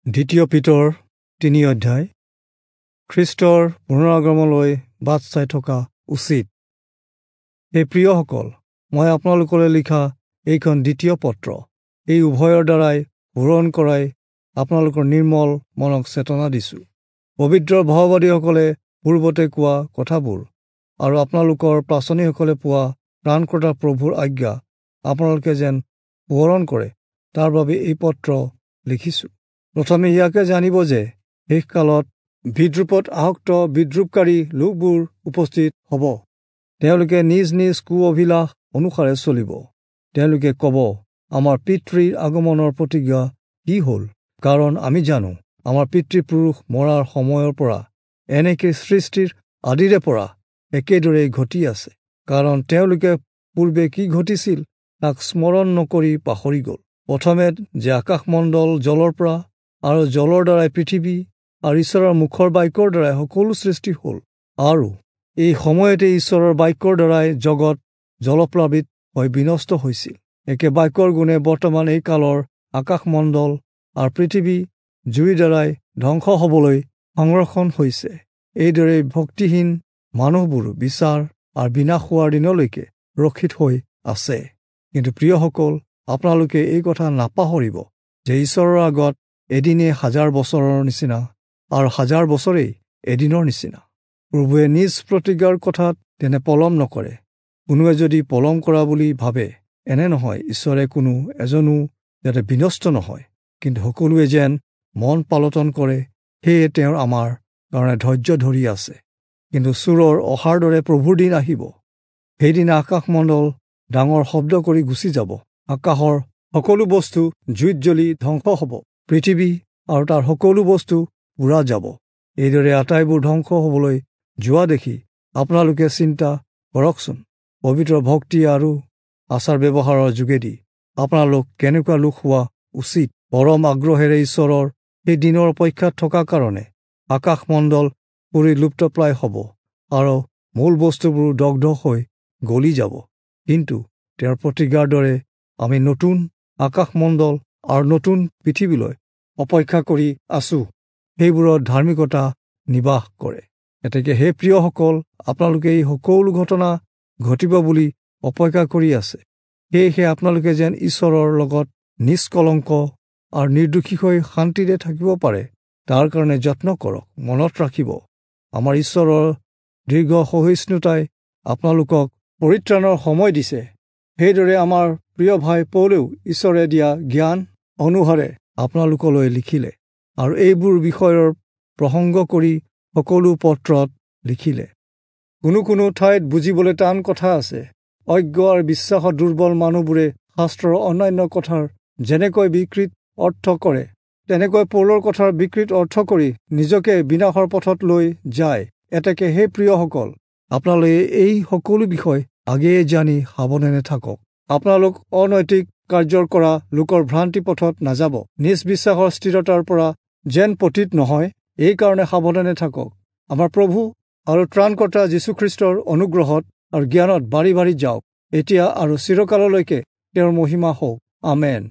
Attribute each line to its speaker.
Speaker 1: দ্বিতীয় পিতৰ 3 অধ্যায়। খ্ৰীষ্টৰ পুনৰাগমনলৈ বাট চাই থকা উচিত। হে প্ৰিয়সকল, মই আপোনালোকলৈ লিখা এইখন দ্বিতীয় পত্ৰ। এই উভয়ৰ দ্বাৰাই পূৰণ কৰাই আপোনালোকৰ নিৰ্মল মনক চেতনা দিছোঁ। পবিত্ৰ ভাওবাদীসকলে পূৰ্বতে কোৱা কথাবোৰ আৰু আপোনালোকৰ পাচনিসকলে পোৱা ত্ৰাণকৰ্তা প্ৰভুৰ আজ্ঞা আপোনালোকে যেন সোঁৱৰণ কৰে, তাৰ বাবে এই পত্ৰ লিখিছোঁ। প্ৰথমে ইয়াকে জানিব যে শেষকালত বিদ্ৰূপত আসক্ত বিদ্ৰূপকাৰী লোকবোৰ উপস্থিত হ'ব। তেওঁলোকে নিজ নিজ কু অভিলাষ অনুসাৰে চলিব। তেওঁলোকে ক'ব, আমাৰ পিতৃৰ আগমনৰ প্ৰতিজ্ঞা কি হ'ল? কাৰণ আমি জানো, আমাৰ পিতৃপুৰুষ মৰাৰ সময়ৰ পৰা এনেকে সৃষ্টিৰ আদিৰে পৰা একেদৰেই ঘটি আছে। কাৰণ তেওঁলোকে পূৰ্বে কি ঘটিছিল তাক স্মৰণ নকৰি পাহৰি গ'ল। প্ৰথমে যে আকাশমণ্ডল জলৰ পৰা আৰু জলৰ দ্বাৰাই পৃথিৱী আৰু ঈশ্বৰৰ মুখৰ বাক্যৰ দ্বাৰাই সকলো সৃষ্টি হ'ল, আৰু এই সময়তে ঈশ্বৰৰ বাক্যৰ দ্বাৰাই জগত জলপ্লাৱিত হৈ বিনষ্ট হৈছিল। একে বাক্যৰ গুণে বৰ্তমান এই কালৰ আকাশমণ্ডল আৰু পৃথিৱী জুইৰ দ্বাৰাই ধ্বংস হ'বলৈ সংৰক্ষণ হৈছে। এইদৰে ভক্তিহীন মানুহবোৰ বিচাৰ আৰু বিনাশ হোৱাৰ দিনলৈকে ৰক্ষিত হৈ আছে। কিন্তু প্ৰিয়সকল, আপোনালোকে এই কথা নাপাহৰিব যে ঈশ্বৰৰ আগত এদিনে হাজাৰ বছৰৰ নিচিনা আৰু হাজাৰ বছৰেই এদিনৰ নিচিনা। প্ৰভুৱে নিজ প্ৰতিজ্ঞাৰ কথাত তেনে পলম নকৰে। কোনোৱে যদি পলম কৰা বুলি ভাবে, এনে নহয়, ঈশ্বৰে কোনো এজনো যাতে বিনষ্ট নহয়, কিন্তু সকলোৱে যেন মন পালটন কৰে, সেয়ে তেওঁৰ আমাৰ কাৰণে ধৈৰ্য ধৰি আছে। কিন্তু চোৰৰ অহাৰ দৰে প্ৰভুৰ দিন আহিব। সেইদিনা আকাশমণ্ডল ডাঙৰ শব্দ কৰি গুচি যাব, আকাশৰ সকলো বস্তু জুইত জ্বলি ধ্বংস হ'ব, পৃথিৱী আৰু তাৰ সকলো বস্তু পুৰা যাব। এইদৰে আটাইবোৰ ধ্বংস হ'বলৈ যোৱা দেখি আপোনালোকে চিন্তা কৰকচোন, পবিত্ৰ ভক্তি আৰু আচাৰ ব্যৱহাৰৰ যোগেদি আপোনালোক কেনেকুৱা লোক হোৱা উচিত। পৰম আগ্ৰহেৰে ঈশ্বৰৰ সেই দিনৰ অপেক্ষাত থকা কাৰণে আকাশমণ্ডল পুৰি লুপ্তপ্ৰায় হ'ব আৰু মূল বস্তুবোৰ দগ্ধ হৈ গলি যাব। কিন্তু তেওঁৰ প্ৰতিজ্ঞাৰ দৰে আমি নতুন আকাশমণ্ডল আৰু নতুন পৃথিৱীলৈ অপেক্ষা কৰি আছোঁ, সেইবোৰত ধাৰ্মিকতা নিবাস কৰে। এতেকে হে প্ৰিয়সকল, আপোনালোকে এই সকলো ঘটনা ঘটিব বুলি অপেক্ষা কৰি আছে। সেয়েহে আপোনালোকে যেন ঈশ্বৰৰ লগত নিষ্কলংক আৰু নিৰ্দোষী হৈ শান্তিৰে থাকিব পাৰে, তাৰ কাৰণে যত্ন কৰক। মনত ৰাখিব, আমাৰ ঈশ্বৰৰ দীৰ্ঘ সহিষ্ণুতাই আপোনালোকক পৰিত্ৰাণৰ সময় দিছে। সেইদৰে আমাৰ প্ৰিয় ভাই পৌলেও ঈশ্বৰে দিয়া জ্ঞান অনুসাৰে আপোনালোকলৈ লিখিলে আৰু এইবোৰ বিষয়ৰ প্ৰসংগ কৰি সকলো পত্ৰত লিখিলে। কোনো কোনো ঠাইত বুজিবলৈ টান কথা আছে। অজ্ঞ আৰু বিশ্বাসত দুৰ্বল মানুহবোৰে শাস্ত্ৰৰ অন্যান্য কথাৰ যেনেকৈ বিকৃত অৰ্থ কৰে, তেনেকৈ পৌলৰ কথাৰ বিকৃত অৰ্থ কৰি নিজকে বিনাশৰ পথত লৈ যায়। এতেকে হে প্ৰিয়সকল, আপোনালোকে এই সকলো বিষয় আগেয়ে জানি সাৱধানে থাকক। আপোনালোক অনৈতিক কাৰ্যৰ কৰা লোকৰ ভ্ৰান্তি পথত নাযাব, নিজ বিশ্বাসৰ স্থিৰতাৰ পৰা যেন পতিত নহয়, এইকাৰণে সাৱধানে থাকক। আমাৰ প্ৰভু আৰু ত্ৰাণকৰ্তা যীশুখ্ৰীষ্টৰ অনুগ্ৰহত আৰু জ্ঞানত বাঢ়ি বাঢ়ি যাওক, এতিয়া আৰু চিৰকাললৈকে তেওঁৰ মহিমা হওক। আমেন।